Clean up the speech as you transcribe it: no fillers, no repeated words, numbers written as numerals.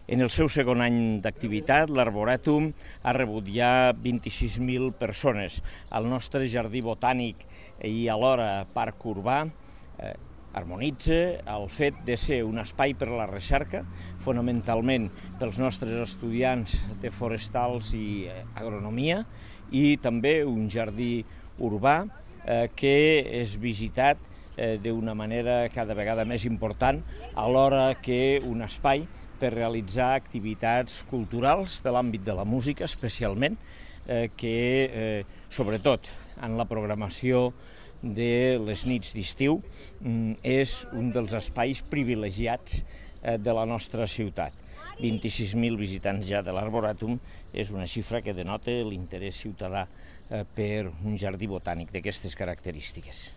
En el seu segon any d'activitat, l'Arborètum ha rebut ja 26.000 persones. El nostre jardí botànic i alhora parc urbà harmonitza el fet de ser un espai per a la recerca, fonamentalment pels nostres estudiants de forestals i agronomia, i també un jardí urbà que és visitat d'una manera cada vegada més important, alhora que un espai per realitzar activitats culturals de l'àmbit de la música, especialment, que sobretot en la programació de les nits d'estiu és un dels espais privilegiats de la nostra ciutat. 26.000 visitants ja de l'Arborètum és una xifra que denota l'interès ciutadà per un jardí botànic d'aquestes característiques.